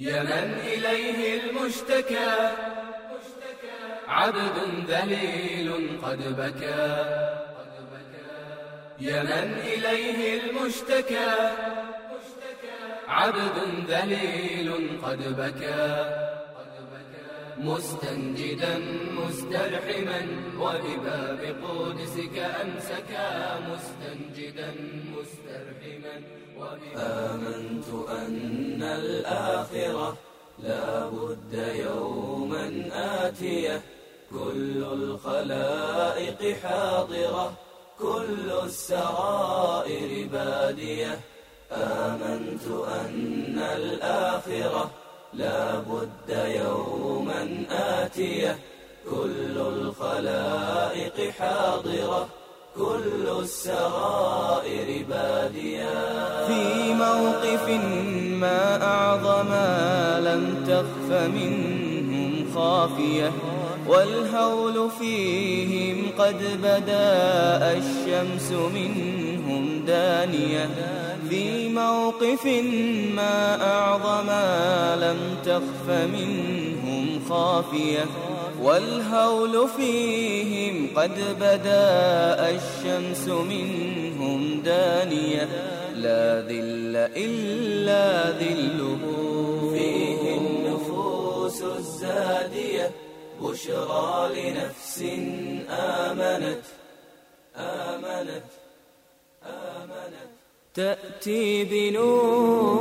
يا من إليه المشتكى عبد ذليل قد بكى يا من إليه المشتكى عبد ذليل قد بكى مستنجدا مسترحما وبباب قدسك أمسكا مستنجدا مسترحما آمنت أن الآخرة لا بد يوما آتية كل الخلائق حاضرة كل السرائر بادية آمنت أن الآخرة لا بد يوما آتية كل الخلائق حاضرة كل السرائر بادية في موقف ما أعظم لم تخف منهم خافية والهول فيهم قد بدا الشمس منهم دانية في موقف ما أعظم لم تخف منهم خافية والهول فيهم قد بدا الشمس منهم دانية لا ذل إلا ذله فيه النفوس الزادية بشرى لنفس آمنت تأتي بنور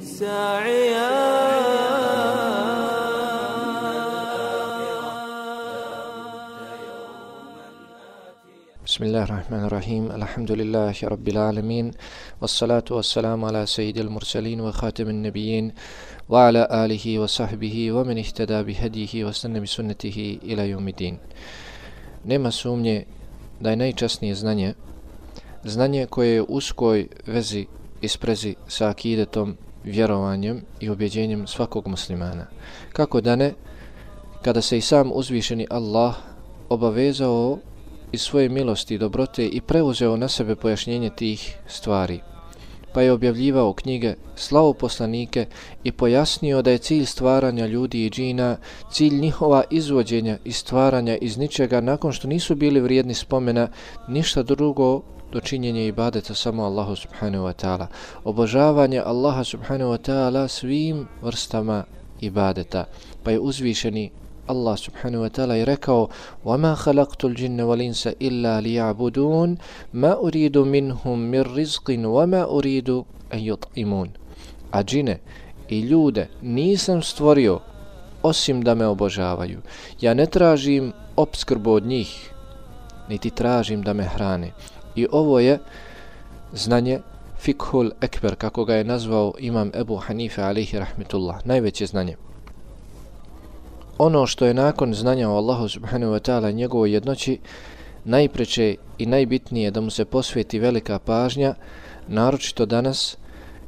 ساعيا بسم الله الرحمن الرحيم الحمد لله رب العالمين والصلاة والسلام على سيد المرسلين وخاتم النبيين وعلى آله وصحبه ومن اهتدى بهديه واستنى بسنته إلى يوم الدين. Nema sumnje da je najčasnije znanje koje je u uskoj vezi i sprezi sa akidetom, vjerovanjem i ubjeđenjem svakog muslimana. Kako da ne, kada se i sam uzvišeni Allah obavezao iz svoje milosti i dobrote i preuzeo na sebe pojašnjenje tih stvari, pa je objavljivao knjige, slao poslanike i pojasnio da je cilj stvaranja ljudi i džina, cilj njihova izvođenja i stvaranja iz ničega nakon što nisu bili vrijedni spomena ništa drugo do činjenja ibadeta samo Allahu subhanahu wa ta'ala, obožavanje Allaha subhanahu wa ta'ala svim vrstama ibadeta. Pa je uzvišeni Allah subhanahu wa ta'ala je rekao: وَمَا خَلَقْتُ الْجِنَّ وَالْإِنسَ إِلَّا لِيَعْبُدُونَ مَا أُرِيدُ مِنْهُمْ مِنْ رِزْقٍ وَمَا أُرِيدُ أَنْ يُطْعِمُونَ. A džine i ljude nisam stvorio osim da me obožavaju. Ja ne tražim opskrbu od njih, niti tražim da me hrane. I ovo je znanje fikhul ekber, kako ga je nazvao imam Ebu Hanife alejhi rahmetullah, najveće znanje. Ono što je nakon znanja o Allahu subhanahu wa ta'ala i njegovoj jednoći najpreče i najbitnije da mu se posveti velika pažnja, naročito danas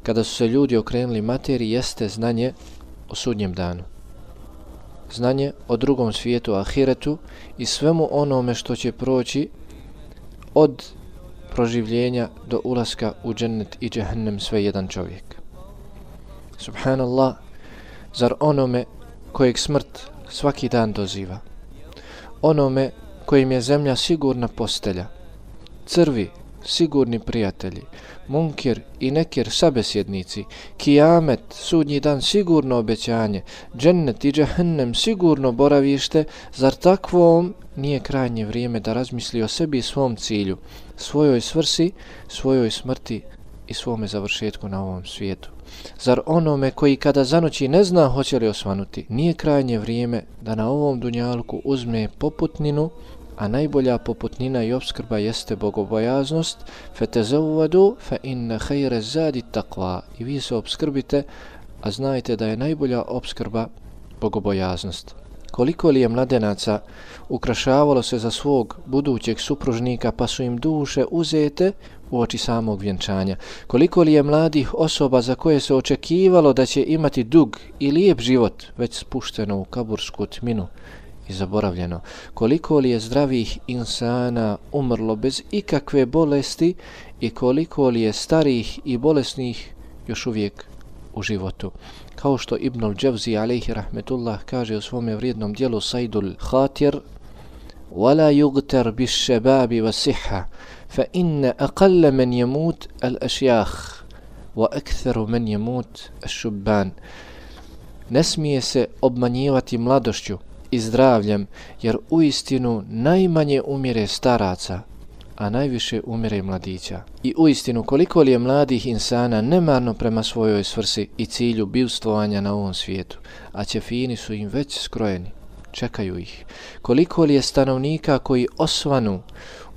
kada su se ljudi okrenuli materiji, jeste znanje o sudnjem danu. Znanje o drugom svijetu, ahiretu i svemu onome što će proći od proživljenja do ulaska u džennet i džehennem sve jedan čovjek. Subhanallah, zar onome kojeg smrt svaki dan doziva, onome kojim je zemlja sigurna postelja, crvi sigurni prijatelji, munkir i nekir sabesjednici, kijamet, sudnji dan sigurno obećanje, džennet i džehennem sigurno boravište, zar takvom nije krajnje vrijeme da razmisli o sebi i svom cilju, svojoj svrsi, svojoj smrti i svome završetku na ovom svijetu? Zar onome koji kada zanoći ne zna hoće li osvanuti, nije krajnje vrijeme da na ovom dunjalku uzme poputninu, a najbolja poputnina i opskrba jeste bogobojaznost? Fetezavvadu fa inna khayra zadi taqwa. I vi se opskrbite, a znajte da je najbolja opskrba bogobojaznost. Koliko li je mladenaca ukrašavalo se za svog budućeg supružnika, pa su im duše uzete uoči samog vjenčanja. Koliko li je mladih osoba za koje se očekivalo da će imati dug i lijep život, već spušteno u kabursku tminu i zaboravljeno. Koliko li je zdravih insana umrlo bez ikakve bolesti i koliko li je starih i bolesnih još uvijek u životu. Kao što Ibnul Džavzi alejhi rahmetullah kaže u svome vrijednom dijelu Saidul Khatir: وَلَا يُغْتَرْ بِالشَّبَابِ وَالصِّحَّةِ فَإِنَّ أَقَلَّ مَنْ يَمُوتْ الْأَشْيَاخِ وَأَكْثَرُ مَنْ يَمُوتْ الشُّبَّانِ. Ne smije se obmanjivati mladošću i zdravljem, jer uistinu najmanje umire staraca, a najviše umire mladića. I uistinu koliko li je mladih insana nemarno prema svojoj svrsi i cilju bivstvovanja na ovom svijetu, a ćefini su im već skrojeni, čekaju ih. Koliko li je stanovnika koji osvanu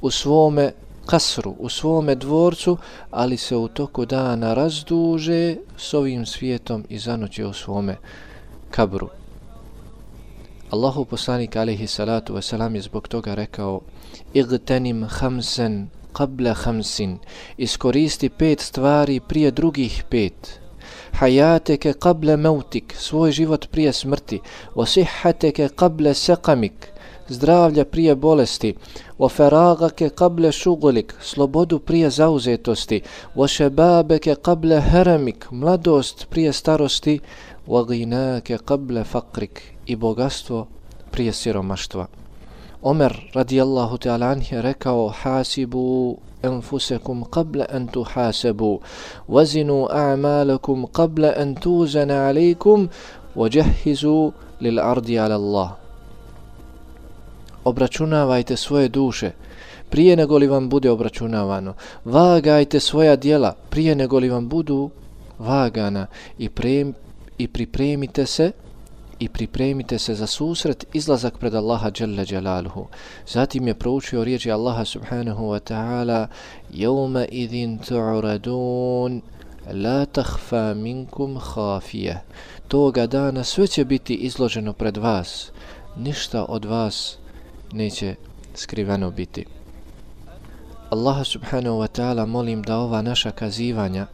u svome kasru, u svome dvorcu, ali se u toku dana razduže s ovim svijetom i zanoće u svome kabru. Allahu poslanik alejhi salatu vesselam je zbog toga rekao: Igtanim khamsan qabla khamsin, iskoristi 5 stvari prije drugih 5. Hayateke qabla mautik, svoj život prije smrti. Wa sihhateke qabla saqamik, zdravlja prije bolesti. Wa faragake qabla shughlik, slobodu prije zauzetosti. Wa shababeke qabla haramik, mladost prije starosti. Wa ghinake qabla faqrik, i bogatstvo prije siromaštva. Omer radijallahu ta'ala anhu je rekao: Hasibu anfusakum qabla an tuhasabu, wazinu a'malakum qabla an tuzana alaykum, wajahhizu lil ardi ala Allah. Obračunavajte svoje duše prije nego li vam bude obračunavano. Vagajte svoja djela prije nego li vam budu vagana i pripremite se za susret, izlazak pred Allaha dželle dželaluhu. Zatim je proučio riječi Allaha subhanahu wa ta'ala: Yawma idhin tu'radun la takhfa minkum khafiyah. Toga dana sve će biti izloženo pred vas, ništa od vas neće skriveno biti. Allaha subhanahu wa ta'ala molim da ova naša kazivanja,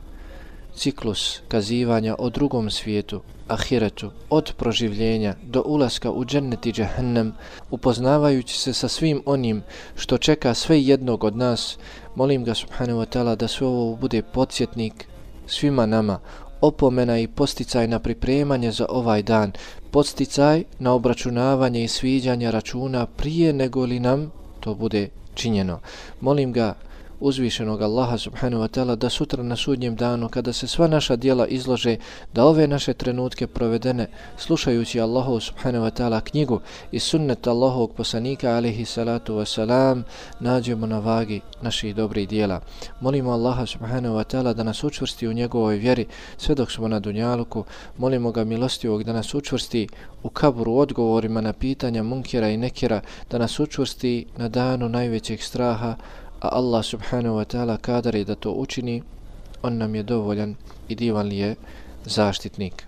ciklus kazivanja o drugom svijetu, ahiretu, od proživljenja do ulaska u džennet i džehennem, upoznavajući se sa svim onim što čeka sve jednog od nas, molim ga subhanahu wa ta'ala da sve ovo bude podsjetnik svima nama, opomena i posticaj na pripremanje za ovaj dan, posticaj na obračunavanje i sviđanje računa prije nego li nam to bude činjeno. Molim ga uzvišenog Allaha subhanahu wa ta'ala da sutra na sudnjem danu, kada se sva naša djela izlože, da ove naše trenutke provedene slušajući Allahu subhanahu wa ta'ala knjigu i sunnet Allahovog poslanika alejhi salatu wasalam, nađemo na vagi naših dobrih djela. Molimo Allaha subhanahu wa ta'ala da nas učvrsti u njegovoj vjeri sve dok smo na dunjaluku. Molimo ga milostivog da nas učvrsti u kaburu odgovorima na pitanja munkira i nekira, da nas učvrsti na danu najvećeg straha, a Allah subhanahu wa ta'ala kadar je da to učini, on nam je dovoljan i divan li je zaštitnik.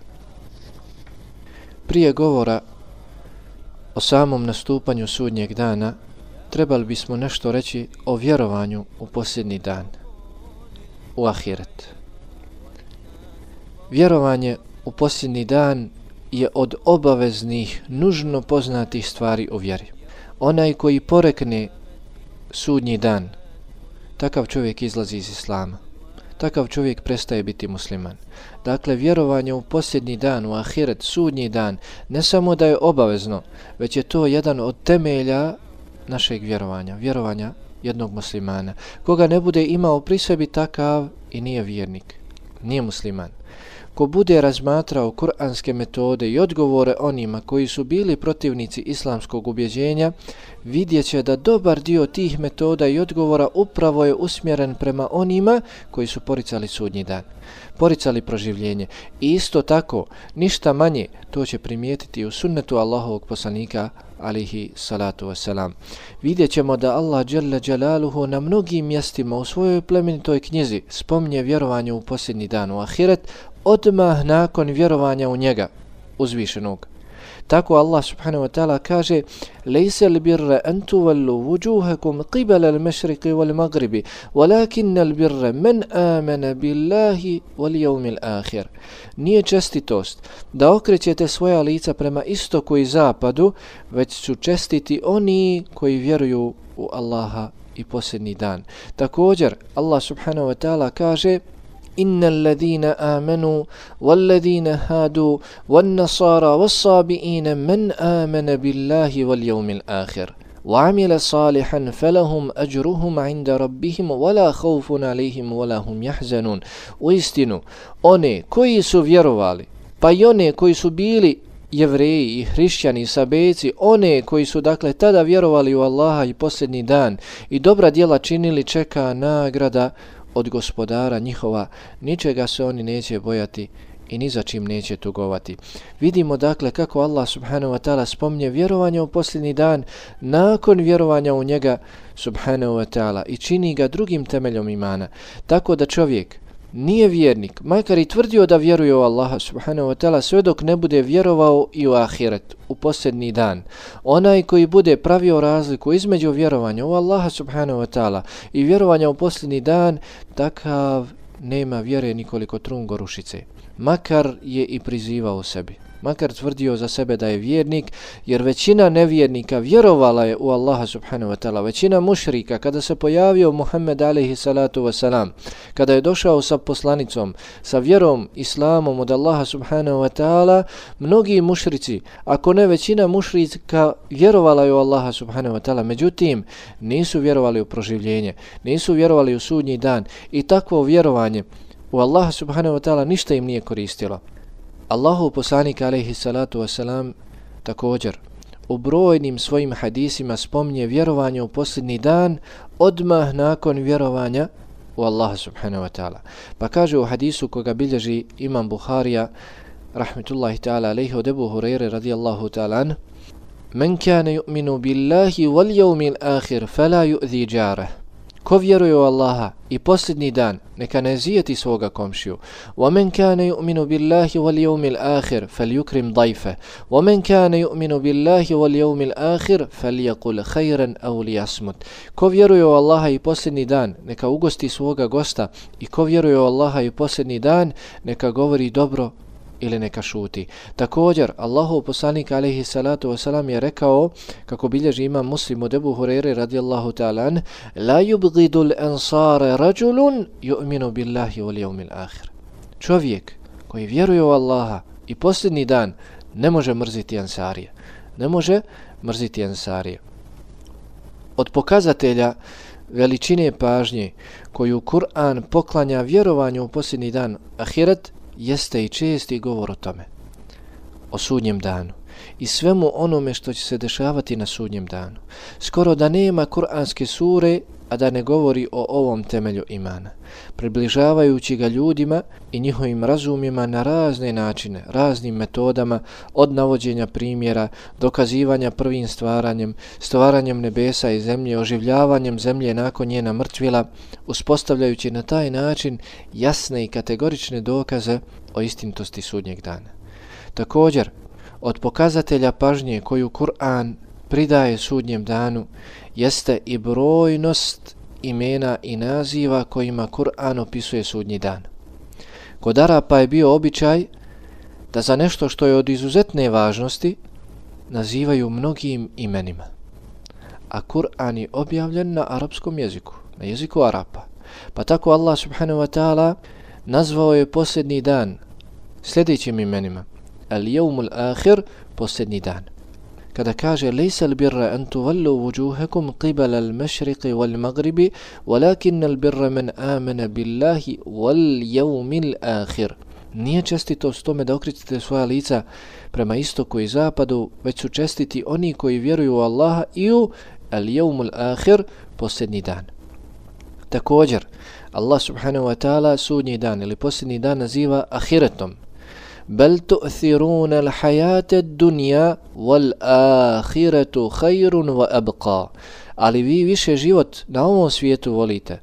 Prije govora o samom nastupanju sudnjeg dana, trebali bismo nešto reći o vjerovanju u posljednji dan, u ahiret. Vjerovanje u posljednji dan je od obaveznih, nužno poznatih stvari u vjeri. Onaj koji porekne sudnji dan, takav čovjek izlazi iz islama. Takav čovjek prestaje biti musliman. Dakle, vjerovanje u posljednji dan, u ahiret, sudnji dan, ne samo da je obavezno, već je to jedan od temelja našeg vjerovanja jednog muslimana. Koga ne bude imao pri sebi, takav i nije vjernik, nije musliman. Ko bude razmatrao kuranske metode i odgovore onima koji su bili protivnici islamskog ubjeđenja, vidjet će da dobar dio tih metoda i odgovora upravo je usmjeren prema onima koji su poricali sudnji dan, poricali proživljenje. I isto tako, ništa manje, to će primijetiti u sunnetu Allahovog poslanika alejhi salatu wasalam. Vidjet ćemo da Allah dželle dželaluhu na mnogim mjestima u svojoj plemenitoj knjizi spominje vjerovanje u posljednji dan, u ahiret, odmah nakon vjerovanja u njega, uzvišenog. Tako Allah subhanahu wa ta'ala kaže: Lejse li birre an tuvallu vujuhakum qibala al-mashriqi wal-maghribi, walakinna al-birre men amana billahi wal yawmil akhir. Nije čestitost da okrećete svoja lica prema istoku i zapadu, već su čestiti oni koji vjeruju u Allaha i posljednji dan. Također Allah subhanahu wa ta'ala kaže: innal ladina amanu wal ladina hadu wan nasara was sabiina man amana billahi wal yawmil akhir وعمل صالحا فلهم أجرهم عند ربهم ولا خوف عليهم ولا هم يحزنون. Uistinu, one koji su vjerovali, pa i one koji su bili Jevreji i hrišćani, sabejci, one koji su dakle tada vjerovali u Allaha i posljednji dan i dobra djela činili, čeka nagrada od gospodara njihova, ničega se oni neće bojati i ni za čim neće tugovati. Vidimo dakle kako Allah subhanahu wa ta'ala spominje vjerovanje u posljednji dan nakon vjerovanja u njega subhanahu wa ta'ala i čini ga drugim temeljom imana. Tako da čovjek nije vjernik, makar i tvrdio da vjeruje u Allaha subhanahu wa ta'ala, sve dok ne bude vjerovao i u ahiret, u posljednji dan. Onaj koji bude pravio razliku između vjerovanja u Allaha subhanahu wa ta'ala i vjerovanja u posljednji dan, takav nema vjere nikoliko trun gorušice. Makar je i prizivao sebi, makar tvrdio za sebe da je vjernik, jer većina nevjernika vjerovala je u Allaha subhanahu wa ta'ala. Većina mušrika, kada se pojavio Muhammed alaihi salatu wasalam, kada je došao sa poslanicom, sa vjerom, islamom od Allaha subhanahu wa ta'ala, mnogi mušrici, ako ne većina mušrika, vjerovala je u Allaha subhanahu wa ta'ala, međutim nisu vjerovali u proživljenje, nisu vjerovali u sudnji dan i takvo vjerovanje u Allaha subhanahu wa ta'ala ništa im nije koristilo. Allahu poslanik alejhi salatu wasalam također u brojnim svojim hadisima spominje vjerovanje u posljednji dan odmah nakon vjerovanja u Allaha subhanahu wa ta'ala. Pa kaže u hadisu koga bilježi Imam Buharija rahmetullahi ta'ala alejhi od Ebu Hurajre radijallahu ta'ala an: Men kana yu'minu billahi wal yawmil akhir fala yu'zi jarah. Ko vjeruje u Allaha i posljednji dan, neka ne zijeti svoga komšiju. وَمَنْ كَانَ يُؤْمِنُ بِاللَّهِ وَالْيَوْمِ الْآخِرِ فَلْيُكْرِمْ ضَيْفَهُ وَمَنْ كَانَ يُؤْمِنُ بِاللَّهِ وَالْيَوْمِ الْآخِرِ فَلْيَقُلْ خَيْرًا أَوْ لِيَصْمُتْ. Ko vjeruje u Allaha i posljednji dan, neka ugosti svoga gosta, i ko vjeruje u Allaha i posljednji dan, neka govori dobro ili neka šuti. Također, Allahov poslanik alejhi salatu wasalam je rekao, kako bilježi Imam Muslim od Ebu Hurajre radijallahu ta'ala an: La yubghidul ansara rajulun yu'minu billahi wal yawmil akhir. Čovjek koji vjeruje u Allaha i posljednji dan ne može mrziti ansarije. Ne može mrziti ansarije. Od pokazatelja veličine pažnje koju Kur'an poklanja vjerovanju u posljednji dan ahiret jeste i česti govor o tome, o sudnjem danu i svemu onome što će se dešavati na sudnjem danu. Skoro da nema kuranske sure, a da ne govori o ovom temelju imana, približavajući ga ljudima i njihovim razumima na razne načine, raznim metodama, od navođenja primjera, dokazivanja prvim stvaranjem nebesa i zemlje, oživljavanjem zemlje nakon njena mrtvila, uspostavljajući na taj način jasne i kategorične dokaze o istinitosti sudnjeg dana. Također, od pokazatelja pažnje koju Kur'an pridaje sudnjem danu jeste i brojnost imena i naziva kojima Kur'an opisuje sudnji dan. Kod Arapa je bio običaj da za nešto što je od izuzetne važnosti nazivaju mnogim imenima. A Kur'an je objavljen na arapskom jeziku, na jeziku Arapa. Pa tako Allah subhanahu wa ta'ala nazvao je posljednji dan sljedećim imenima: Al-Yawmul Akhir, posljednji dan. Kada kaže: Lejsa al-birra an tuvallu wujuhakum qibala al-mashriqi wal-maghribi walakinna al-birra man amana billahi wal yawmil akhir. Nije čestitost tome da okrećete svoja lica prema istoku i zapadu, već su čestiti oni koji vjeruju u Allaha i u al-yawmul akhir, posljednji dan. Također, Allah subhanahu wa ta'ala sudnji dan ili posljednji dan naziva ahiretom. Bel tu'thiruna al-hayata ad-dunya wal-akhiratu khayrun wa abqa. Ali vi više život na ovom svijetu volite,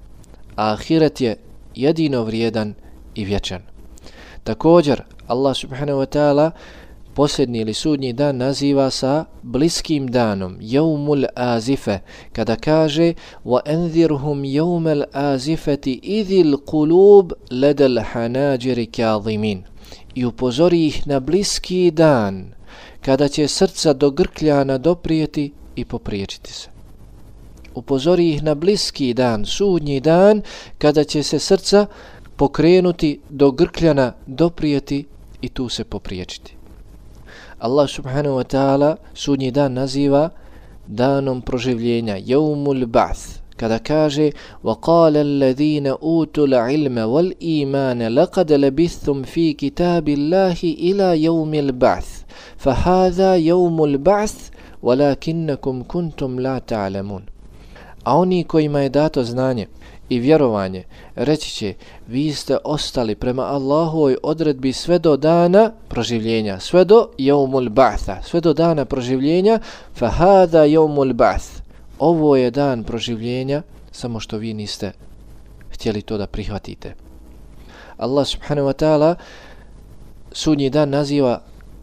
a ahiret je jedino vrijedan i vječan. Također, Allah subhanahu wa ta'ala posljednji ili sudnji dan naziva sa bliskim danom, Jevmul Azife, kada kaže: وَأَنذِرْهُمْ يَوْمَ الْآزِفَةِ إِذِ الْقُلُوبِ لَدَ الْحَنَاجِرِ كَاظِمِينَ. I upozori ih na bliski dan, kada će srca do grkljana doprijeti i popriječiti se. Upozori ih na bliski dan, sudnji dan, kada će se srca pokrenuti do grkljana, doprijeti i tu se popriječiti. Allah subhanahu wa ta'ala sudnji dan naziva danom proživljenja, Jevmul Ba'th, kada kaže وَقَالَ الَّذِينَ أُوتُوا الْعِلْمَ وَالْإِيمَانَ لَقَدْ لَبِثْتُمْ فِي كِتَابِ اللَّهِ إِلَى يَوْمِ الْبَعْثِ فَهَذَا يَوْمُ الْبَعْثِ وَلَكِنَّكُمْ كُنْتُمْ لَا تَعْلَمُونَ. A oni kojima je dato znanje i vjerovanje reći će, vi ste ostali prema Allahovoj odredbi sve do dana proživljenja, sve do Jevmul Ba'tha, sve do dana proživljenja, فَهَذَا يَوْمُ الْبَعْثِ. Ovo je dan proživljenja, samo što vi niste htjeli to da prihvatite. Allah subhanahu wa ta'ala sudnji dan naziva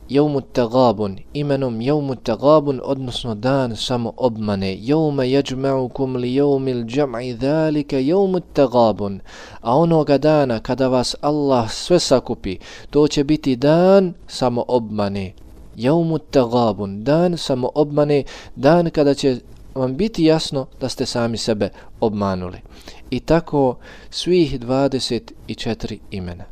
Jevmut Tagabun, imenom Jevmut Tagabun, odnosno dan samo obmane. Jevme jeđma'ukum li jevmil džam'i dhalike Jevmut Tagabun. A onoga dana kada vas Allah sve sakupi, to će biti dan samo obmane. Jevmut Tagabun, dan samo obmane, dan kada će vam biti jasno da ste sami sebe obmanuli. I tako svih 24 imena.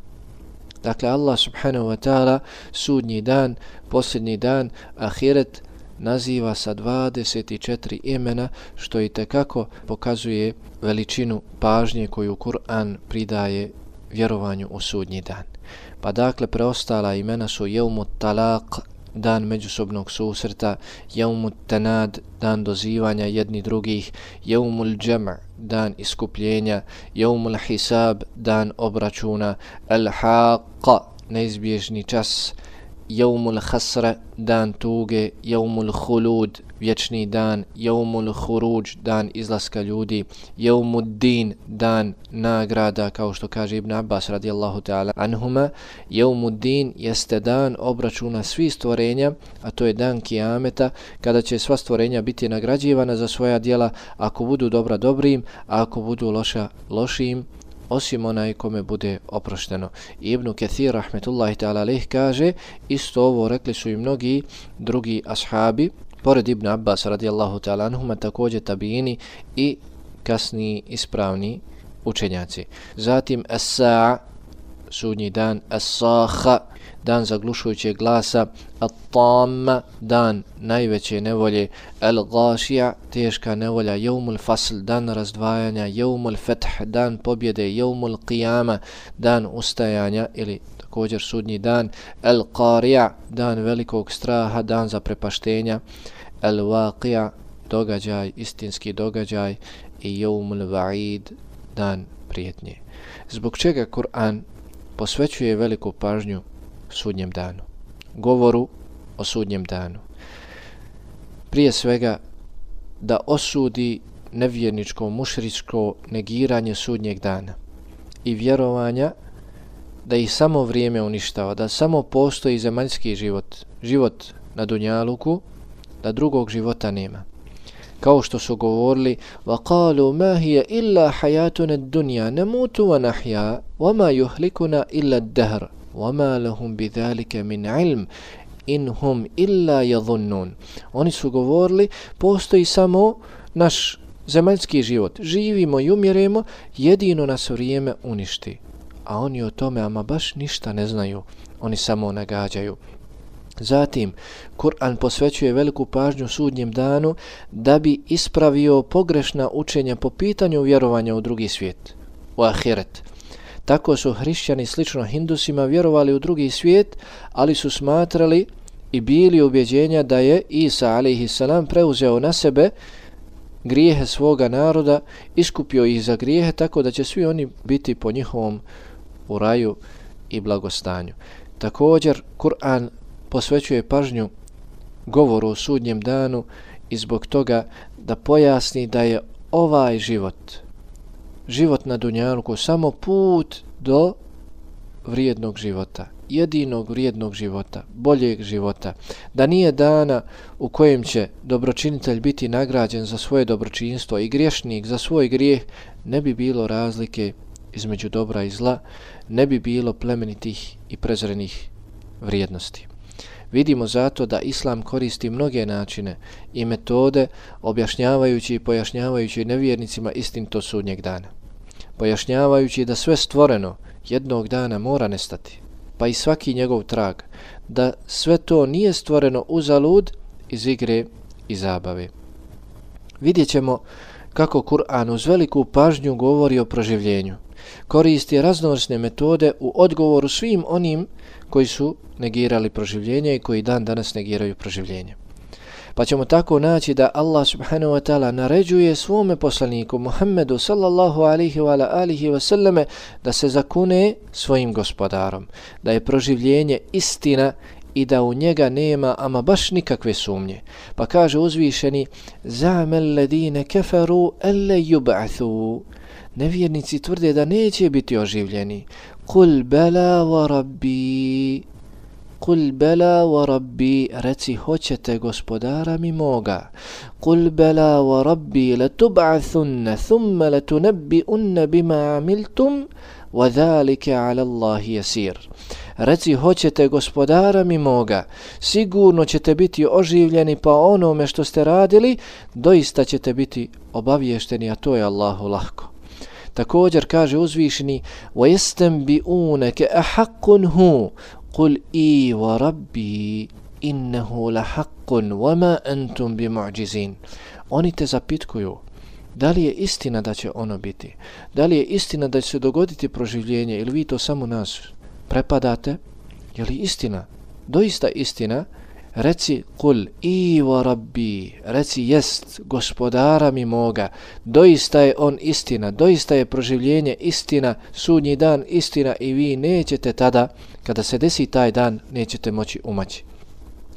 Dakle, Allah subhanahu wa ta'ala sudnji dan, posljednji dan, ahiret naziva sa 24 imena, što i tekako pokazuje veličinu pažnje koju Kur'an pridaje vjerovanju u sudnji dan. Pa dakle, preostala imena su Jevmut Talaq, dan međusobnog susreta, Jevmut Tanad, dan dozivanja jedni drugih, Jevmul Džam', dan iskupljenja, Jevmul Hisab, dan obračuna, Al-Haqqa, neizbježni čas, Jevmul Hasra, dan tuge, Jevmul Khulud, vječni dan, Jevmul Khuruđ, dan izlaska ljudi, Jevmud Din, dan nagrada, kao što kaže Ibn Abbas radijallahu ta'ala anhuma. Jevmud Din jeste dan obračuna svih stvorenja, a to je dan Kijameta, kada će sva stvorenja biti nagrađivana za svoja djela, ako budu dobra dobrim, a ako budu loša lošim, osim onaj kome bude oprošteno. Ibn Kathir rahmetullahi ta'ala alejh kaže, isto ovo rekli su i mnogi drugi ashabi, pored Ibn Abbas radijallahu ta'ala anhuma, također tabini i kasni ispravni učenjaci. Zatim as-sa'a, sudnji dan, as-sakha, dan zaglušujućeg glasa, at-tamma, dan najveće nevolje, al-ghashi'a, teška nevolja, Jevmul Fasl, dan razdvajanja, Jevmul Fath, dan pobjede, Jevmul Qiyama, dan ustajanja ili također sudnji dan, al-Qari'a, dan velikog straha, dan zaprepaštenja, al-Waqi'a, događaj, istinski događaj i Jevmul Va'id, dan prijetnje. Zbog čega Kur'an posvećuje veliku pažnju sudnjem danu, govoru o sudnjem danu? Prije svega da osudi nevjerničko, mušričko negiranje sudnjeg dana i vjerovanja da ih samo vrijeme uništava, da samo postoji zemaljski život, život na dunjaluku, da drugog života nema. Kao što su govorili وَقَالُوا مَا هِيَ إِلَّا حَيَاتُنَا الدُّنْيَا نَمُوتُ وَنَحْيَا وَمَا يُهْلِكُنَا إِلَّا الدَّهْرُ وَمَا لَهُمْ بِذَلِكَ مِنْ عِلْمٍ إِنْ هُمْ إِلَّا يَظُنُّونَ. Oni su govorili, postoji samo naš zemaljski život, živimo i umjeremo, jedino nas vrijeme uništi. A oni o tome ama baš ništa ne znaju, oni samo nagađaju. Zatim, Kur'an posvećuje veliku pažnju sudnjem danu da bi ispravio pogrešna učenja po pitanju vjerovanja u drugi svijet, u ahiret. Tako su hrišćani slično Hindusima vjerovali u drugi svijet, ali su smatrali i bili ubjeđenja da je Isa alejhiselam preuzeo na sebe grijehe svoga naroda, iskupio ih za grijehe, tako da će svi oni biti po njihovom u raju i blagostanju. Također, Kur'an posvećuje pažnju govoru o sudnjem danu i zbog toga da pojasni da je ovaj život na dunjaluku samo put do vrijednog života, jedinog vrijednog života, boljeg života, da nije dana u kojem će dobročinitelj biti nagrađen za svoje dobročinstvo i griješnik za svoj grijeh, ne bi bilo razlike između dobra i zla, ne bi bilo plemenitih i prezrenih vrijednosti. Vidimo zato da Islam koristi mnoge načine i metode objašnjavajući i pojašnjavajući nevjernicima istinitost sudnjeg dana. Pojašnjavajući da sve stvoreno jednog dana mora nestati, pa i svaki njegov trag, da sve to nije stvoreno uzalud iz igre i zabave. Vidjet ćemo kako Kur'an uz veliku pažnju govori o proživljenju. Koristi raznovrsne metode u odgovoru svim onim koji su negirali proživljenje i koji dan danas negiraju proživljenje. Pa ćemo tako naći da Allah subhanahu wa ta'ala naređuje svome poslaniku Muhammedu sallallahu alihi wa alihi wa sallame da se zakune svojim gospodarom, da je proživljenje istina i da u njega nema ama baš nikakve sumnje. Pa kaže uzvišeni: Za'mal ladine kafaru alla yub'athu. Nevjernici tvrde da neće biti oživljeni. Kul bela wa rabbi. Kul bela wa rabbi, reci hoćete gospodara mi moga. Kul bela wa rabbi latub'athunna thumma latunabbi'unna bima amiltum wa dhalika 'ala Allahi yasir. Reci hoćete gospodara mi moga, sigurno ćete biti oživljeni pa onome što ste radili, doista ćete biti obavješteni, a to je Allahu lahko. Također kaže uzvišeni: وَيَسْتَنْبِئُونَكَ أَحَقٌ هُ قُلْ إِي وَرَبِّي إِنَّهُ لَحَقٌ وَمَا أَنْتُمْ بِمُعْجِزِينَ. Oni te zapitkuju da li je istina da će ono biti, da li je istina da će se dogoditi proživljenje ili vi to samo nas prepadate, je li istina, doista istina? Reci kul i wa rabbi, reci jest gospodara mi moga, doista je on istina, doista je proživljenje istina, sudnji dan istina i vi nećete tada, kada se desi taj dan, nećete moći umaći.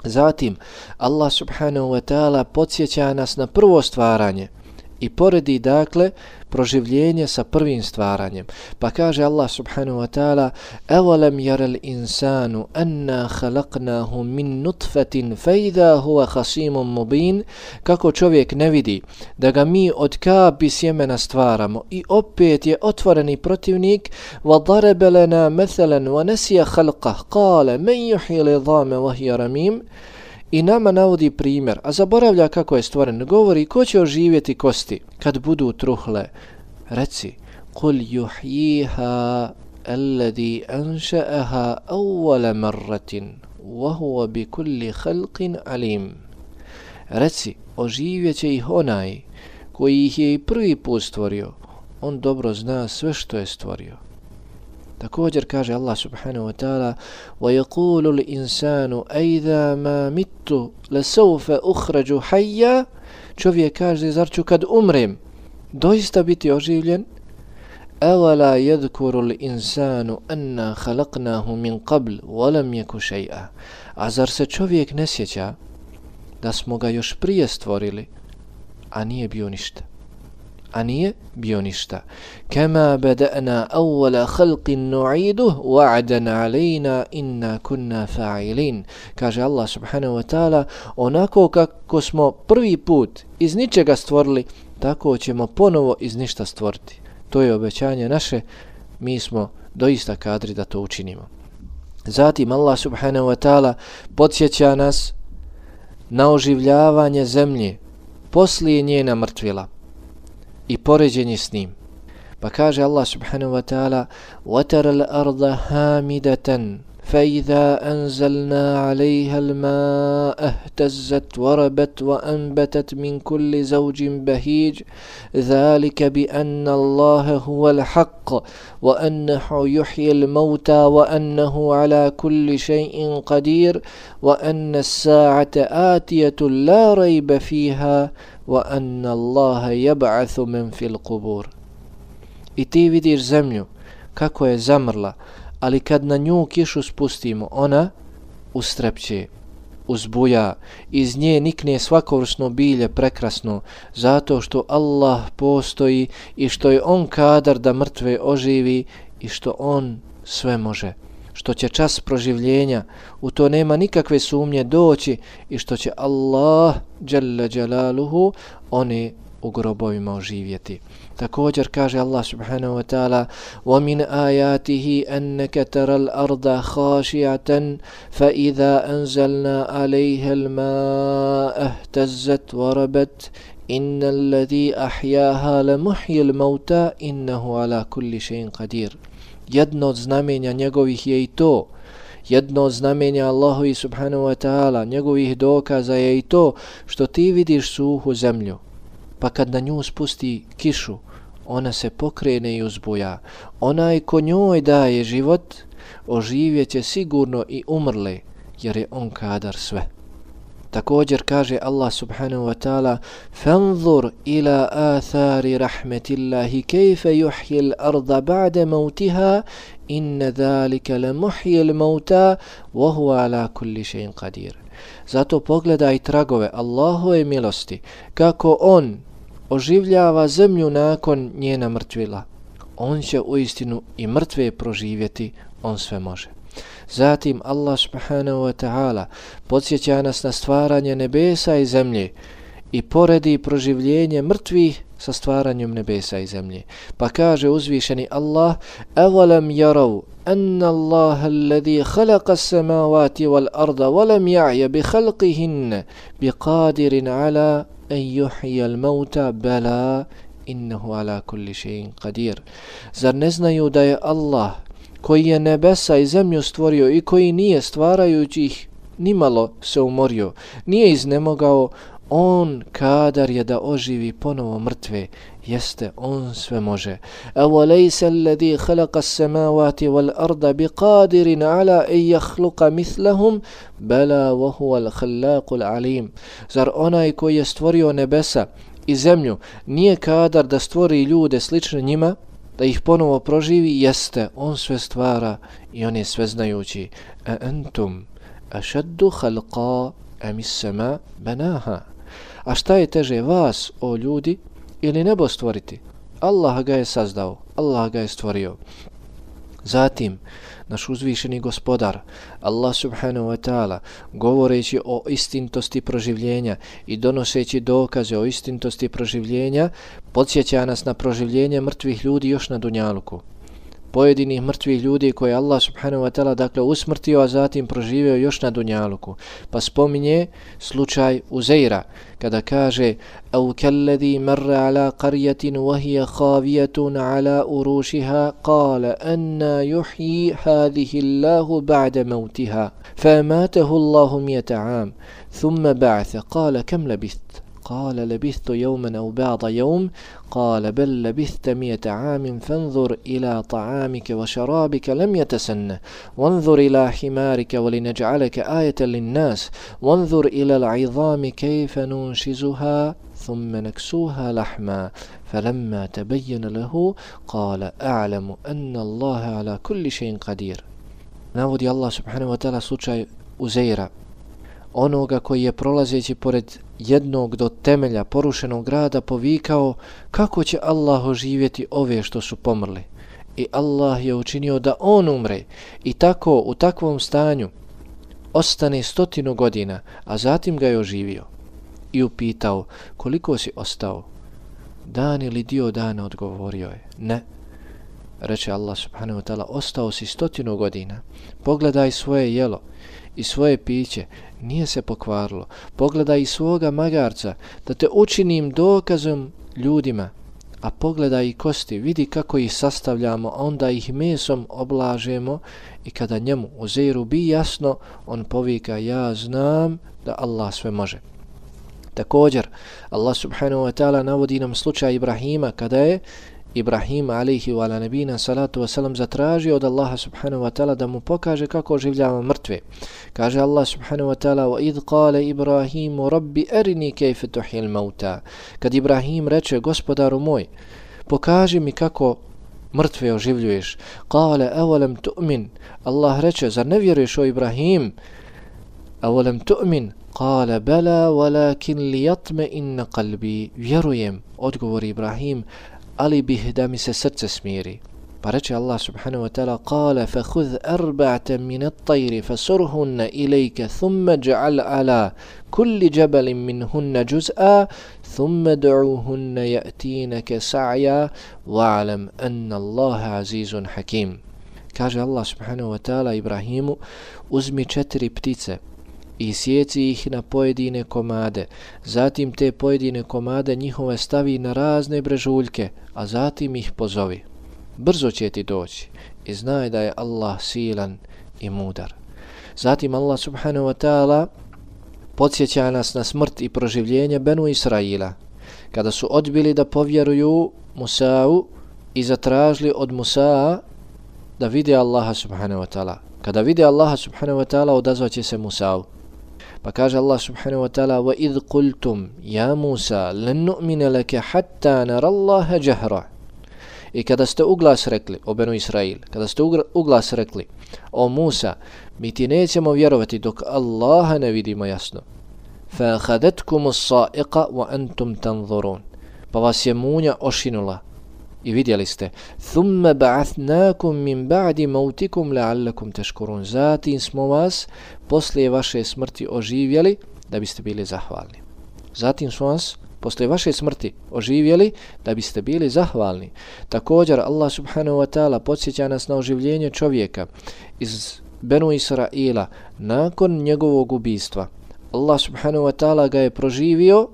Zatim, Allah subhanahu wa ta'ala podsjeća nas na prvo stvaranje i poredi dakle proživljenje sa prvim stvaranjem. Pa kaže Allah subhanahu wa ta'ala: Evolem jarel insanu anna khalaqnahu min nutfatin fejda huwa hasimum mubin. Kako čovjek ne vidi da ga mi od kapi sjemena stvaramo i opet je otvoreni protivnik. Wa daraba lana mathalan wa nasiya khalqah qala man yuhyi al-idhama wa hiya ramim. I nama navodi primjer, a zaboravlja kako je stvoren. Govori ko će oživjeti kosti kad budu truhle. Reci: Kul yuhyiha alladhi ansha'aha awwala marratin wa huwa bi kulli khalqin alim. Reci, oživjeće ih onaj koji ih je i prvi put stvorio. On dobro zna sve što je stvorio. Također kaže Allah subhanahu wa ta'ala: وَيَقُولُ الْإِنسَانُ أَيْذَا مَا مِتُّ لَسَوْفَ أُخْرَجُ حَيَّا. Čovjek kaže: zar ću kad umrem doista biti oživljen? أَوَلَا يَذْكُرُ الْإِنسَانُ أَنَّا خَلَقْنَاهُ مِنْ قَبْلُ وَلَمْ يَكُ شَيْئًا. A zar se čovjek ne sjeća da smo ga još prije stvorili, a nije bio ništa? Kama bada'na awwala khalqin nu'iduhu wa'dan 'alayna inna kunna fa'ilin. Kaže Allah subhanahu wa ta'ala: onako kako smo prvi put iz ničega stvorili, tako ćemo ponovo iz ništa stvoriti. To je obećanje naše, mi smo doista kadri da to učinimo. Zatim Allah subhanahu wa ta'ala podsjeća nas na oživljavanje zemlje poslije njena mrtvila i poređenje s njim. Pa kaže Allah subhanahu wa ta'ala: وَتَرَ الْأَرْضَ هَامِدَةً فَإِذَا أَنزَلْنَا عَلَيْهَا الْمَاءَ اهْتَزَّتْ وَرَبَتْ وَأَنْبَتَتْ مِنْ كُلِّ زَوْجٍ بَهِيجٍ ذَلِكَ بِأَنَّ اللَّهَ هُوَ الْحَقُّ وَأَنَّهُ يُحْيِي الْمَوْتَى وَأَنَّهُ عَلَى كُلِّ شَيْءٍ قَدِيرٌ وَأَنَّ السَّاعَةَ آتِيَةٌ لَا رَيْبَ فِيهَا وَأَنَّ اللَّهَ يَبْعَثُ مَنْ فِي الْقُبُورِ. I ti vidiš zemlju kako je zamrla, ali kad na nju kišu spustimo, ona ustrepće, uzbuja, iz nje nikne svakovrsno bilje prekrasno, zato što Allah postoji i što je on kadar da mrtve oživi i što on sve može, što će čas proživljenja, u to nema nikakve sumnje, doći i što će Allah dželle dželaluhu one u grobovima oživjeti. Također kaže Allah subhanahu wa ta'ala: وَمِنْ آيَاتِهِ أَنَّكَ تَرَى الْأَرْضَ خَاشِعَةً فَإِذَا أَنزَلْنَا عَلَيْهَا الْمَاءَ اهْتَزَّتْ وَرَبَتْ إِنَّ الَّذِي أَحْيَاهَا لَمُحْيِي الْمَوْتَى إِنَّهُ عَلَى كُلِّ شَيْءٍ قَدِيرٌ. Jedno od znamenja njegovih je i to. Jedno od znamenja Allahovi subhanahu wa ta'ala, njegovih dokaza je i to što ti vidiš suhu zemlju, pa kad na nju spusti kišu, ona se pokrene i uzbuja. Onaj ko njoj daje život, oživjet će sigurno i umrle, jer je on kadar sve. Također kaže Allah subhanahu wa ta'ala: فَانْظُرْ إِلَىٰ آثَارِ رَحْمَةِ اللَّهِ كَيْفَ يُحْيِي الْأَرْضَ بَعْدَ مَوْتِهَا إِنَّ ذَلِكَ لَمُحْيِي الْمَوْتَى وَهُوَ عَلَى كُلِّ شَيْءٍ قَدِيرٌ. Zato pogledaj tragove Allahove milosti, kako on oživljava zemlju nakon njena mrtvila. On će uistinu i mrtve proživjeti, on sve može. Zatim Allah subhanahu wa ta'ala podsjeća nas na stvaranje nebesa i zemlje i poredi proživljenje mrtvih sa stvaranjem nebesa i zemlje. Pa kaže uzvišeni Allah: أَوَلَمْ يَرَوْا أَنَّ اللَّهَ الَّذِي خَلَقَ السَّمَاوَاتِ وَالْأَرْضَ وَلَمْ يَعْيَ بِخَلْقِهِنَّ بِقَادِرٍ عَلَىٰ أَنْ يُحْيِيَ الْمَوْتَى بَلَىٰ إِنَّهُ عَلَىٰ كُلِّ شَيْءٍ قَدِيرٌ. Zar ne znaju da je Allah, koji je nebesa i zemlju stvorio i koji nije stvarajući ih nimalo se umorio, nije iznemogao, on kadar je da oživi ponovo mrtve, jeste, on sve može. أَوَلَيْسَ الَّذِي خَلَقَ السَّمَاوَاتِ وَالْأَرْضَ بِقَادِرٍ عَلَىٰ أَنْ يَخْلُقَ مِثْلَهُمْ بَلَىٰ وَهُوَ الْخَلَّاقُ الْعَلِيمُ. Zar onaj koji je stvorio nebesa i zemlju nije kadar da stvori ljude slične njima, da ih ponovo proživi? Jeste, on sve stvara i on je sveznajući. أَأَنْتُمْ أَشَدُّ خَلْقًا أَمِ السَّمَاءُ بَنَاهَا. A šta je teže, vas, o ljudi, ili nebo stvoriti? Allah ga je sazdao, Allah ga je stvorio. Zatim, naš uzvišeni gospodar, Allah subhanahu wa ta'ala, govoreći o istintosti proživljenja i donoseći dokaze o istintosti proživljenja, podsjeća nas na proživljenje mrtvih ljudi još na dunjaluku. Pojedinih mrtvih ljudi koje Allah subhanahu wa ta'ala dakle usmrtio, a zatim proživio još na dunjaluku. Pa spominje slučaj Uzeira kada kaže: أَوْ كَالَّذِي مَرَّ عَلَىٰ قَرْيَةٍ وَهِيَ خَاوِيَةٌ عَلَىٰ أُرُوشِهَا قَالَ أَنَّا يُحْيِي هَذِهِ اللَّهُ بَعْدَ مَوْتِهَا فَأَمَاتَهُ اللَّهُ 100 عَامٍ ثُمَّ بَعَثَ قَالَ كَمْ لَبِثْتَ قال لبثت يوما أو بعض يوم قال بل لبثت 100 عام فانظر إلى طعامك وشرابك لم يتسنه وانظر إلى حمارك ولنجعلك آية للناس وانظر إلى العظام كيف ننشزها ثم نكسوها لحما فلما تبين له قال أعلم أن الله على كل شيء قدير. Navodi Allah subhanahu wa ta'ala slučaj Uzeira, onoga koji je prolazeći pored jednog do temelja porušenog grada povikao: kako će Allah oživjeti ove što su pomrli? I Allah je učinio da on umre i tako u takvom stanju ostane 100 godina, a zatim ga je oživio. I upitao: koliko si ostao? Dan ili dio dana? Odgovorio je: ne. Reče Allah subhanahu wa ta'ala: ostao si 100 godina. Pogledaj svoje jelo i svoje piće, nije se pokvarilo. Pogledaj i svoga magarca, da te učinim dokazom ljudima. A pogledaj i kosti, vidi kako ih sastavljamo, onda ih mesom oblažemo. I kada njemu Uzeiru bi jasno, on povika: ja znam da Allah sve može. Također, Allah subhanahu wa ta'ala navodi nam slučaj Ibrahima, kada je Ibrahim alaihi wa ala nabina salatu wasalam zatražio od Allaha subhanahu wa ta'ala da mu pokaže kako oživljava mrtve. Kaže Allah subhanahu wa ta'ala: وَإِذْ قَالَ إِبْرَاهِيمُ رَبِّ أَرِنِي كَيْفَ تُحْيِي الْمَوْتَى. Kad Ibrahim reče: gospodaru moj, pokaži mi kako mrtve oživljuješ. قَالَ أَوَلَمْ تُؤْمِنْ. Allah reče: zar ne vjeruješ, o Ibrahim? أَوَلَمْ تُؤْمِنْ قال بلى ولكن ليطمئن قلبي. Vjerujem, odgovori Ibrahim, ali bih da mi se srce smiri. Pa reče Allah subhanahu wa ta'ala: قال فخذ 4 من الطير فصرهن إليك ثم اجعل على كل جبل منهن جزءا ثم ادعوهن يأتينك سعيا واعلم أن الله عزيز حكيم. Kaže Allah subhanahu wa ta'ala Ibrahimu: uzmi 4 ptice i sjeci ih na pojedine komade, zatim te pojedine komade njihove stavi na razne brežuljke, a zatim ih pozovi. Brzo će ti doći i znaj da je Allah silan i mudar. Zatim Allah subhanahu wa ta'ala podsjeća nas na smrt i proživljenje Benu Israila, kada su odbili da povjeruju Musa'u i zatražili od Musa'a da vide Allaha subhanahu wa ta'ala. Kada vide Allaha subhanahu wa ta'ala, odazvaće se Musa'u. Pa kaže Allah subhanahu wa ta'ala: وَإِذْ قُلْتُمْ يَا مُوسَى لَنْ نُؤْمِنَ لَكَ حَتَّى نَرَى اللَّهَ جَهْرًا. I kada ste uglas rekli, o Benu Israil, kada ste uglas rekli: o Musa, mi ti nećemo vjerovati dok Allaha ne vidimo jasno. فَأَخَذَتْكُمُ الصَّائِقَ وَأَنْتُمْ تَنْظُرُونَ. Pa vas je munja ošinula i vidjeli ste. ثُمَّ بَعَثْنَاكُمْ مِنْ بَعْدِ مَوْتِكُمْ لَعَلَّكُمْ تَشْكُرُونَ. Zatim smo vas poslije vaše smrti oživjeli da biste bili zahvalni. Zatim smo vas poslije vaše smrti oživjeli da biste bili zahvalni. Također Allah subhanahu wa ta'ala podsjeća nas na oživljenje čovjeka iz Benu Israila nakon njegovog ubistva. Allah subhanahu wa ta'ala ga je proživio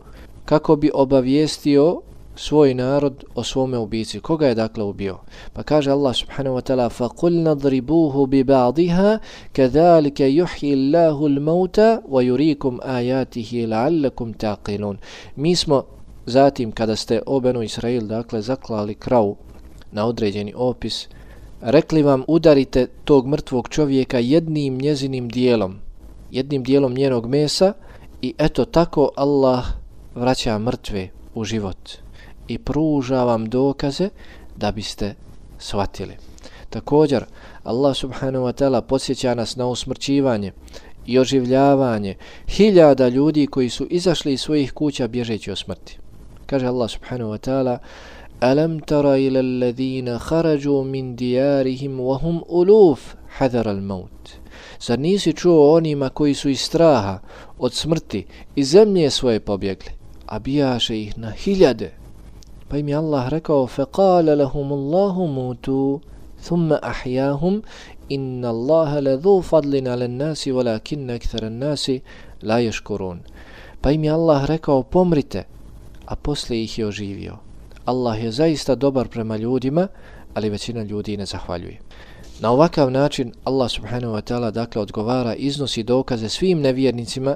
kako bi obavijestio svoj narod o svome ubici. Koga je dakle ubio? Pa kaže Allah subhanahu wa ta'ala: فَقُلْنَا ضْرِبُوهُ بِبَعْضِهَا كَذَلِكَ يُحْيِي اللَّهُ الْمَوْتَ وَيُرِيكُمْ آيَاتِهِ لَعَلَّكُمْ تَعْقِلُونَ. Mi smo zatim, kada ste o Benu Israil dakle zaklali kravu na određeni opis, rekli vam: udarite tog mrtvog čovjeka jednim dijelom njenog mesa, i eto tako Allah vraća mrtve u život i pruža vam dokaze da biste shvatili. Također Allah subhanahu wa ta'ala podsjeća nas na usmrćivanje i oživljavanje hiljada ljudi koji su izašli iz svojih kuća bježeći od smrti. Kaže Allah subhanahu wa ta'ala: أَلَمْ تَرَ إِلَى الَّذِينَ خَرَجُوا مِنْ دِيَارِهِمْ وَهُمْ أُلُوفٌ حَذَرَ الْمَوْتِ. Zar nisi čuo onima koji su iz straha od smrti iz zemlje svoje pobjegli, a bijaše ih na hiljade? Pa im je Allah rekao: فَقَالَ لَهُمُ اللَّهُ مُوتُوا ثُمَّ أَحْيَاهُمْ إِنَّ اللَّهَ لَذُو فَضْلٍ عَلَى النَّاسِ وَلَكِنَّ أَكْثَرَ النَّاسِ لَا يَشْكُرُونَ. Pa im je Allah rekao: pomrite, a poslije ih je oživio. Allah je zaista dobar prema ljudima, ali većina ljudi ne zahvaljuje. Na ovakav način Allah subhanahu wa ta'ala dakle odgovara, iznosi dokaze svim nevjernicima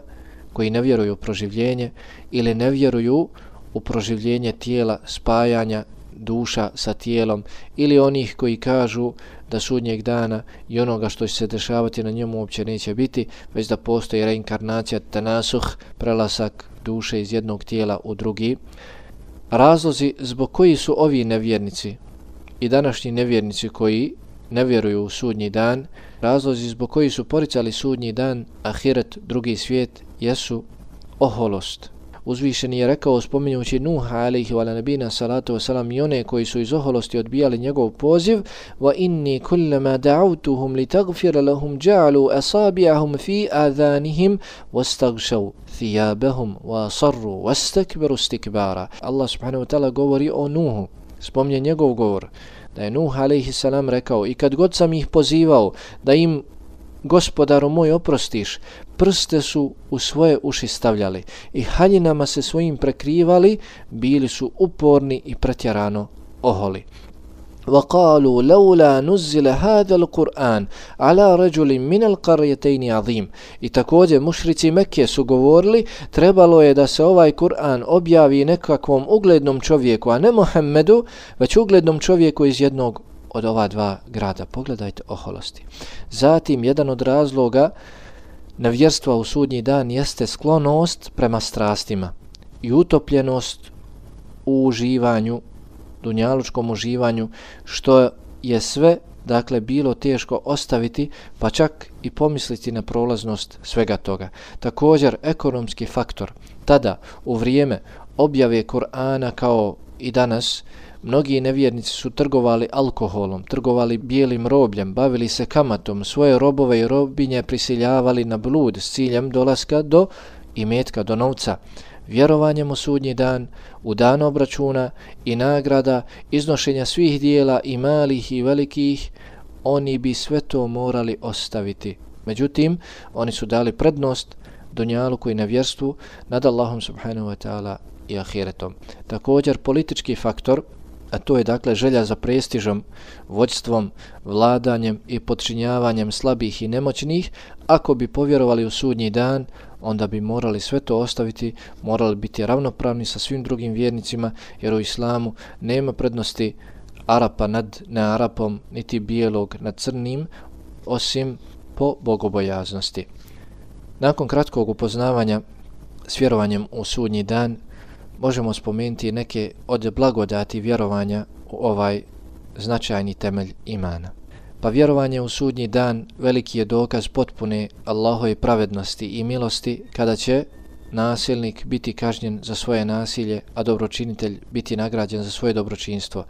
koji ne vjeruju u proživljenje ili ne vjeruju u proživljenje tijela, spajanja duša sa tijelom, ili onih koji kažu da sudnjeg dana i onoga što će se dešavati na njemu uopće neće biti, već da postoji reinkarnacija, tanasuh, prelasak duše iz jednog tijela u drugi. Razlozi zbog koji su ovi nevjernici i današnji nevjernici koji ne vjeruju u sudnji dan, razlozi zbog koji su poricali sudnji dan, ahiret, drugi svijet, jesu oholost. Uzvišeni je rekao, spominjući Nuha alejhi wa nabina salatu wasalam i one koji su iz oholosti odbijali njegov poziv: wa inni kullama da'awtuhum litaghfira lahum ja'alu asabi'ahum fi adhanihim wastaghshaw thiyabahum wa asarru wastakbaru istikbara. Allah subhanahu wa ta'ala govori o Nuhu, spominje njegov govor, da je Nuh alejhi salam rekao: i kad god sam ih pozivao da im Gospodaru moj oprostiš, prste su u svoje uši stavljali i haljinama se svojim prekrivali, bili su uporni i pretjerano oholi. وَقَالُوا لَوْلَا نُزِّلَ هَذَا الْقُرْآنِ عَلَى رَجُلٍ مِنَ الْقَرْيَتَيْنِ عَظِيمٍ. I također mušrici Mekke su govorili, trebalo je da se ovaj Kur'an objavi nekakvom uglednom čovjeku, a ne Muhammedu, već uglednom čovjeku iz jednog od ova dva grada. Pogledajte oholosti. Zatim, jedan od razloga nevjerstva u sudnji dan jeste sklonost prema strastima i utopljenost u uživanju, dunjalučkom uživanju, što je sve dakle bilo teško ostaviti, pa čak i pomisliti na prolaznost svega toga. Također ekonomski faktor. Tada, u vrijeme objave Kur'ana kao i danas, mnogi nevjernici su trgovali alkoholom, trgovali bijelim robljem, bavili se kamatom, svoje robove i robinje prisiljavali na blud s ciljem dolaska do imetka, do novca. Vjerovanjem u sudnji dan, u dan obračuna i nagrada, iznošenja svih dijela i malih i velikih, oni bi sve to morali ostaviti. Međutim, oni su dali prednost dunjaluku i nevjerstvu nad Allahom subhanahu wa ta'ala i ahiretom. Također politički faktor, a to je dakle želja za prestižom, vođstvom, vladanjem i podčinjavanjem slabih i nemoćnih, ako bi povjerovali u sudnji dan, onda bi morali sve to ostaviti, morali biti ravnopravni sa svim drugim vjernicima, jer u islamu nema prednosti Arapa nad nearapom, niti bijelog nad crnim, osim po bogobojaznosti. Nakon kratkog upoznavanja s vjerovanjem u sudnji dan, možemo spomenuti neke od blagodati vjerovanja u ovaj značajni temelj imana. Pa vjerovanje u sudnji dan veliki je dokaz potpune Allahove pravednosti i milosti kada će nasilnik biti kažnjen za svoje nasilje, a dobročinitelj biti nagrađen za svoje dobročinstvo.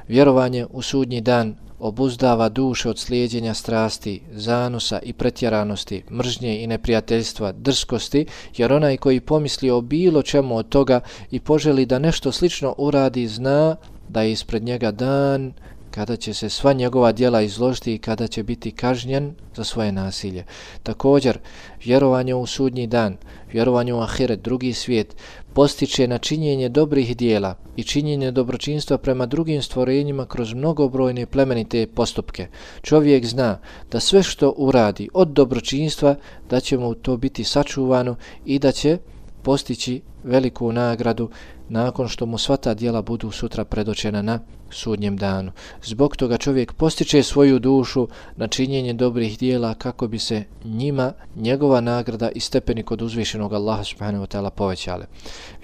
Vjerovanje u sudnji dan obuzdava duše od slijeđenja strasti, zanosa i pretjeranosti, mržnje i neprijateljstva, drskosti, jer onaj koji pomisli o bilo čemu od toga i poželi da nešto slično uradi, zna da je ispred njega dan kada će se sva njegova djela izložiti i kada će biti kažnjen za svoje nasilje. Također, vjerovanje u sudnji dan, vjerovanje u ahiret, drugi svijet, postiče na činjenje dobrih dijela i činjenje dobročinstva prema drugim stvorenjima kroz mnogobrojne plemenite postupke. Čovjek zna da sve što uradi od dobročinstva, da će mu to biti sačuvano i da će postići veliku nagradu nakon što mu sva ta djela budu sutra predočena na sudnjem danu. Zbog toga čovjek postiče svoju dušu na činjenje dobrih djela kako bi se njima njegova nagrada i stepeni kod uzvišenog Allaha subhanahu wa ta'ala povećale.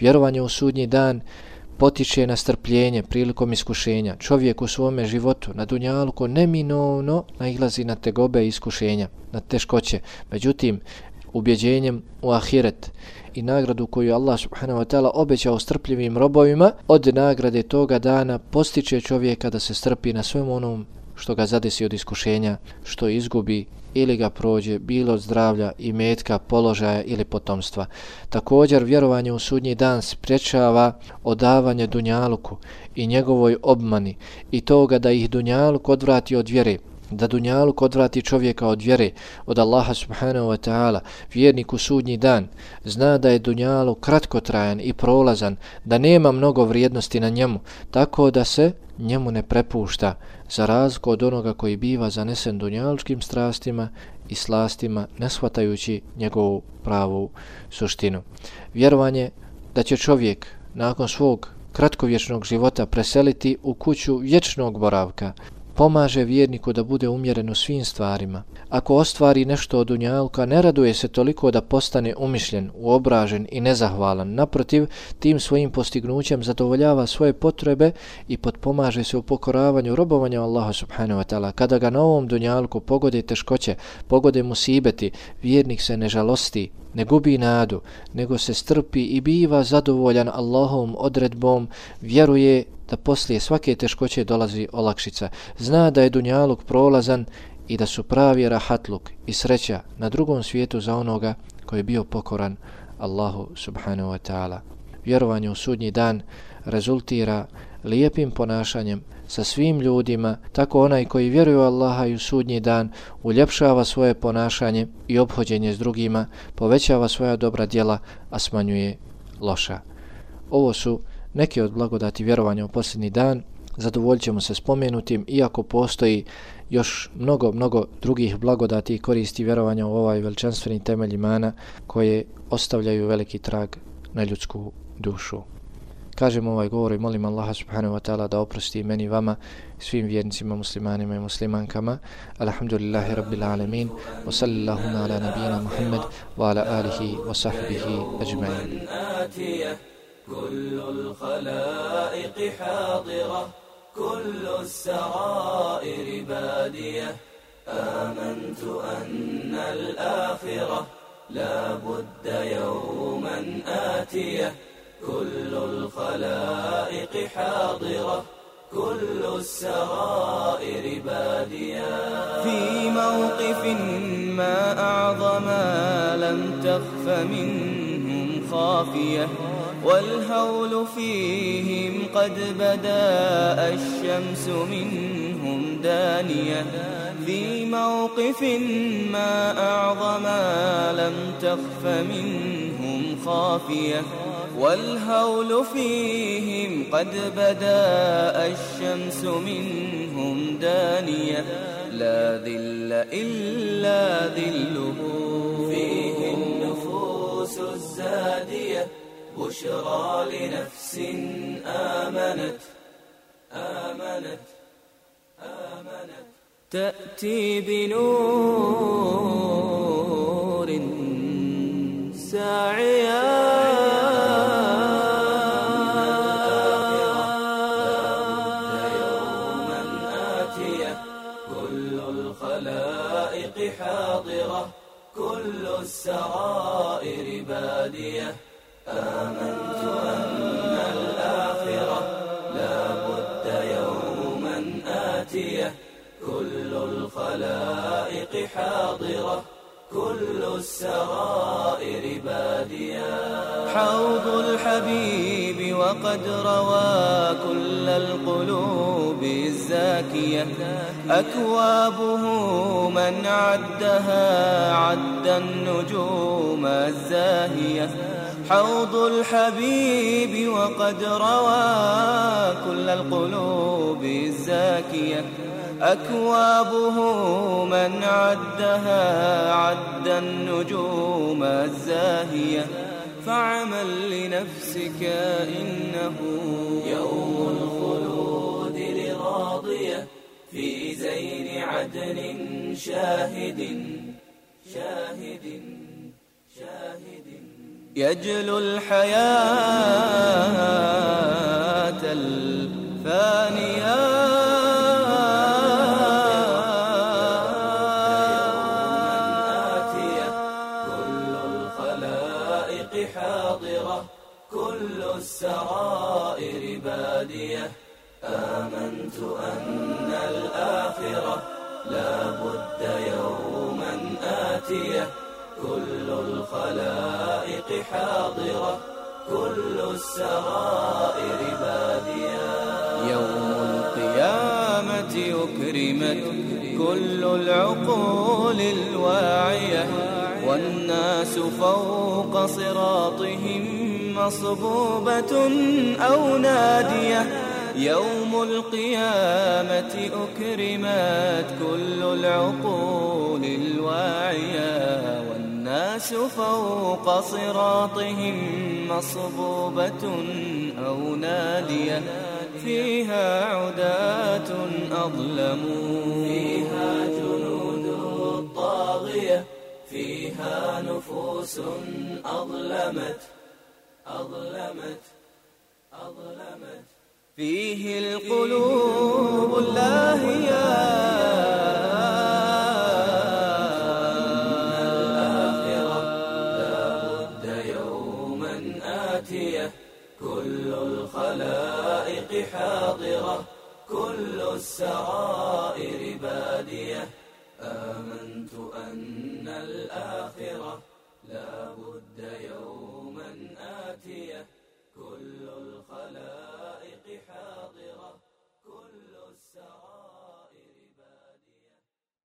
Vjerovanje u sudnji dan potiče na strpljenje prilikom iskušenja. Čovjek u svome životu na dunjaluku neminovno nailazi na tegobe i iskušenja, na teškoće. Međutim, ubjeđenjem u ahiret i nagradu koju Allah subhanahu wa ta'ala obećao strpljivim robovima, od nagrade toga dana postiče čovjeka da se strpi na svem onom što ga zadesi od iskušenja, što izgubi ili ga prođe, bilo od zdravlja, imetka, položaja ili potomstva. Također, vjerovanje u sudnji dan sprječava odavanje dunjaluku i njegovoj obmani i toga da ih dunjaluk odvrati od vjere, da dunjaluk odvrati čovjeka od vjere, od Allaha subhanahu wa ta'ala. Vjernik u sudnji dan zna da je dunjaluk kratkotrajan i prolazan, da nema mnogo vrijednosti na njemu, tako da se njemu ne prepušta, za razliku od onoga koji biva zanesen dunjalučkim strastima i slastima, ne shvatajući njegovu pravu suštinu. Vjerovanje da će čovjek nakon svog kratkovječnog života preseliti u kuću vječnog boravka pomaže vjerniku da bude umjeren u svim stvarima. Ako ostvari nešto od dunjaluka, ne raduje se toliko da postane umišljen, uobražen i nezahvalan. Naprotiv, tim svojim postignućem zadovoljava svoje potrebe i potpomaže se u pokoravanju robovanja Allaha subhanahu wa ta'ala. Kada ga na ovom dunjaluku pogode teškoće, pogode musibeti, vjernik se ne žalosti, ne gubi nadu, nego se strpi i biva zadovoljan Allahovom odredbom, vjeruje da poslije svake teškoće dolazi olakšica. Zna da je dunjaluk prolazan i da su pravi rahatluk i sreća na drugom svijetu za onoga koji je bio pokoran Allahu subhanahu wa ta'ala. Vjerovanje u sudnji dan rezultira lijepim ponašanjem sa svim ljudima, tako onaj koji vjeruje u Allaha i u sudnji dan uljepšava svoje ponašanje i ophođenje s drugima, povećava svoja dobra djela, a smanjuje loša. Ovo su neke od blagodati vjerovanja u posljednji dan. Zadovoljit ćemo se spomenutim, iako postoji još mnogo drugih blagodati i koristi vjerovanja u ovaj veličanstveni temelj imana koje ostavljaju veliki trag na ljudsku dušu. Kažem ovaj govor i molim Allaha subhanahu wa ta'ala da oprosti meni, vama, svim vjernicima, muslimanima i muslimankama. Alhamdulillahi rabbil alamin, wa sallallahu ala nabijina Muhammad wa ala alihi wa sahbihi ajma'in. كل الخلائق حاضرة كل السرائر بادية آمنت أن الآخرة لا بد يوما آتية كل الخلائق حاضرة كل السرائر بادية في موقف ما أعظم لم تخف منهم خافية والهول فيهم قد بدا الشمس منهم دانية في موقف ما أعظم لم تخف منهم خافية والهول فيهم قد بدا الشمس منهم دانية لا ذل إلا ذله فيه النفوس الزادية بشرى لنفس آمنت تأتي بنور ساعيا يوما آتية كل الخلائق حاضرة كل السرائر بادية آمنت أن الآخرة لا بد يوما آتية كل الخلائق حاضرة كل السرائر بادية حوض الحبيب وقد روى كل القلوب الزاكية أكوابه من عدها عد النجوم الزاهية حوض الحبيب وقد روى كل القلوب الزاكية أكوابه من عدها عد النجوم الزاهية فاعمل لنفسك إنه يوم الخلود لراضية في زين عدن شاهد يجلو الحياة الفانية كل السرائر بادية آمنت أن الآخرة لا بد يوما آتية كل الخلائق حاضرة كل السرائر بادية يوم القيامة أكرمت كل العقول الواعية والناس فوق صراطهم مصبوبة أو نادية يوم القيامة أكرمت كل العقول الواعية والناس فوق صراطهم مصبوبة أو نادية فيها عداة أظلموا فيها جنود طاغية فيها نفوس أظلمت فيه القلوب اللاهية الآخرة لا بد يوما آتية كل الخلائق حاضرة كل السرائر بادية آمنت أن الآخرة لا بد